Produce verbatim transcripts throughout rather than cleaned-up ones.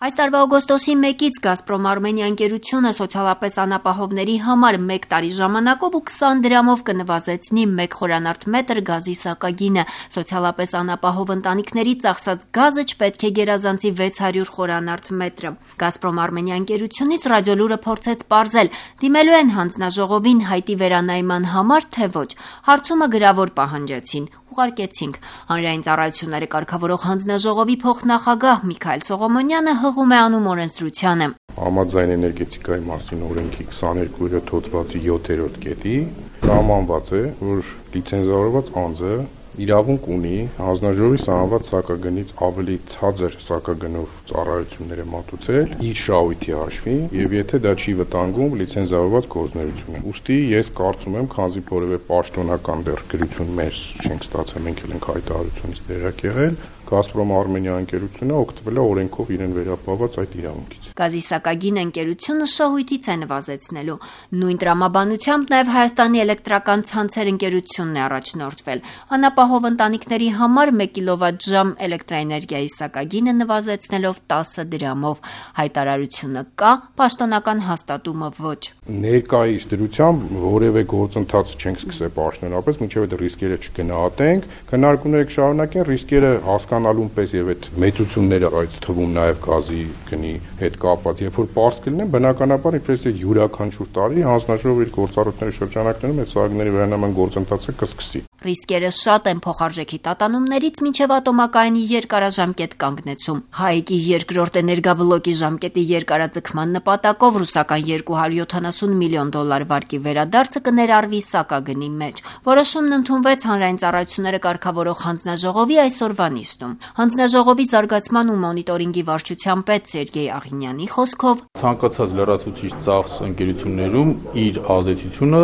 Այս տարվա օգոստոսի մեկից Գազպրոմ Արմենիա ընկերությունը սոցիալապես անապահովների համար մեկ տարի ժամանակով ու քսան դրամով կնվազեցնի մեկ խորանարդ մետր գազի սակագինը։ Սոցիալապես անապահով ընտանիքների ծախսած գազը չպետք է գերազանցի վեց հարյուր խորանարդ մետրը։ Գազպրոմ Արմենիա ընկերությունից Ռադիոլուրը փորձեց պարզել՝ դիմելու են հանձնաժողովին հայտի վերանայման համար, թե ոչ։ Հարցումը գրավոր պահանջեցին։ Ուղարկեցինք։ Հանրային ծառայությունները կարգավորող հանձնաժողովի փոխնախագահ Միքայել Սողոմոնյանը հղում է անում օրենսդրությանը։ Համաձայն էներգետիկայի մասին օրենքի քսաներկու հոդվածի յոթերորդ կետի սահմանված է, որ լիցենզավորված անձը իրավունք ունի հանձնաժողովի սահմանված սակագնից ավելի ցածր սակագնով ծառայությունները մատուցել իր շահույթի հաշվին եւ եթե դա չի վտանգում լիցենզավորված գործունեությունը։ Ուստի ես կարծում եմ, քանզի որևէ պաշտոնական դեռ գրություն մեր չենք ստացել, մենք էլ ենք հայտարարությունից տեղյակ եղել, Գազպրոմ Արմենիա ընկերությունը օգտվել է օրենքով իրեն վերապահված այդ իրավունքից։ Գազի սակագին ընկերությունը շահույթից է նվազեցնելու։ Նույն տրամաբանությամբ նաև Հայաստանի էլեկտրական ցանցեր ընկերությունն է առաջնորդվել։ Անապահով ընտանիքների համար մեկ կիլովատժամ էլեկտրաէներգիայի սակագինը նվազեցնելով տասը դրամով։ Հայտարարությունը կա, պաշտոնական հաստատումը ոչ։ Ներկայիս դրությամբ որևէ գործընթաց չենք սկսել պաշտոնապես, մինչև այդ ռիսկերը չգնահատենք, քննարկումները կշարունակեն, ռիսկերը հասկանալուն պես եւ այդ մեծությունները այդ թվում նաեւ գազի գնի հետ կապված, երբ որ պարզ կլինեն, բնականաբար իբրես է յուրաքանչյուր տարի հանձնաժողովի շրջանակների շրջանակներում այդ սահմանների վերանայման գործընթացը կսկսի։ Ռիսկերը շատ են փոխարժեքի տատանումներից մինչև ատոմակայանի երկարաժամկետ կանգնեցում։ ՀԱԵԿ-ի երկրորդ էներգաբլոկի ժամկետի երկարաձգման նպատակով ռուսական երկու հարյուր յոթանասուն միլիոն դոլար վարկի վերադարձը կներառվի սակագնի մեջ։ Որոշումն ընդունվեց Հանրային ծառայությունները կարգավորող հանձնաժողովի այսօրվա նիստում։ Հանձնաժողովի զարգացման ու մոնիտորինգի վարչության պետ Սերգեյ Աղինյանի խոսքով ցանկացած լրացուցիչ ծախս ընկերություններում իր ազդեցությունը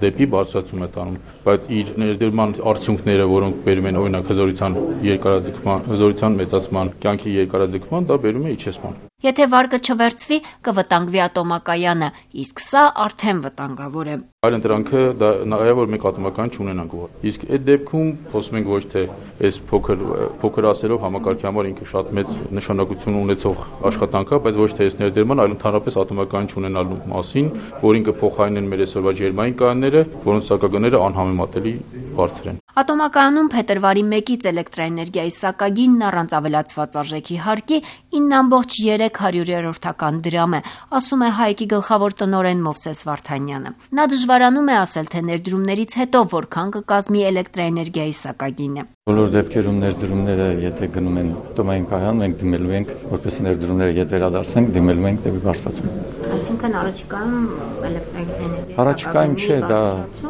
դեպի բարձրացում է տանում, բայց իր ներդրման արդյունքները, որոնք բերում են օրինակ հզորության երկարաձգման, հզորության մեծացման, կյանքի երկարաձգման, դա բերում է իջեցման։ Եթե վարկը չվերցվի, կվտանգվի ատոմակայանը, իսկ սա արդեն վտանգավոր է։ Այլընտրանքը դա նաև որ մեկ ատոմակայան չունենանք որ։ Իսկ այդ դեպքում խոսում ենք ոչ թե այս փոքր փոքր ասելով համակարգի համար ինքը շատ մեծ նշանակություն ունեցող աշխատանք է, բայց ոչ թե այս ներդրման, այլ ընդհանրապես ատոմակայան չունենալու մասին, որին կփոխարինեն մեր այսօրվա ջերմային կայանները, որոնց սակագները անհամեմատելի բարձր են։ Ատոմակայանում փետրվարի մեկից էլեկտրաէներգիայի սակագինն առանց ավելացված արժեքի հարկի ինը ամբողջ երեք հարյուրերորդական դրամ է, ասում է ՀԱԵԿ-ի գլխավոր տնօրեն Մովսես Վարդանյանը։ Նա դժվարանում է ասել, թե ներդրումներից հետո որքան կկազմի էլեկտրաէներգիայի սակագինը։ Բոլոր դեպքերում ներդրումները, եթե գնում են ատոմային կայան, մենք դիմելու ենք, որպեսզի ներդրումները ետ վերադարձենք, դիմելու ենք դեպի բարձրացում։ Այսինքն առաջիկայում էլեկտրաէներգիայի Առաջիկայում չէ, դա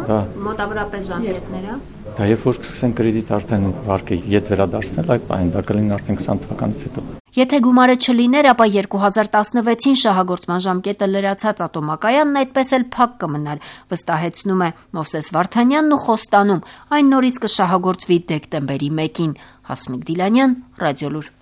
դա մոտավորապես ժամկետները։ Դա երբ որ կսկսեն կրեդիտ արդեն վարկը ետ վերադարձնել, այդ բանը դա կլինի արդեն քսան թվականից հետո։ Եթե գումարը չլիներ, ապա երկու հազար տասնվեցին շահագործման ժամկետը լրացած ատոմակայանն այդպես էլ փակ կմնար, վստահեցնում է Մովսես Վարդանյանն ու խոստանում, այն նորից կշահագործվի դեկտեմբերի մեկին։ Հասմիկ Դիլանյան, Ռադիոլուր։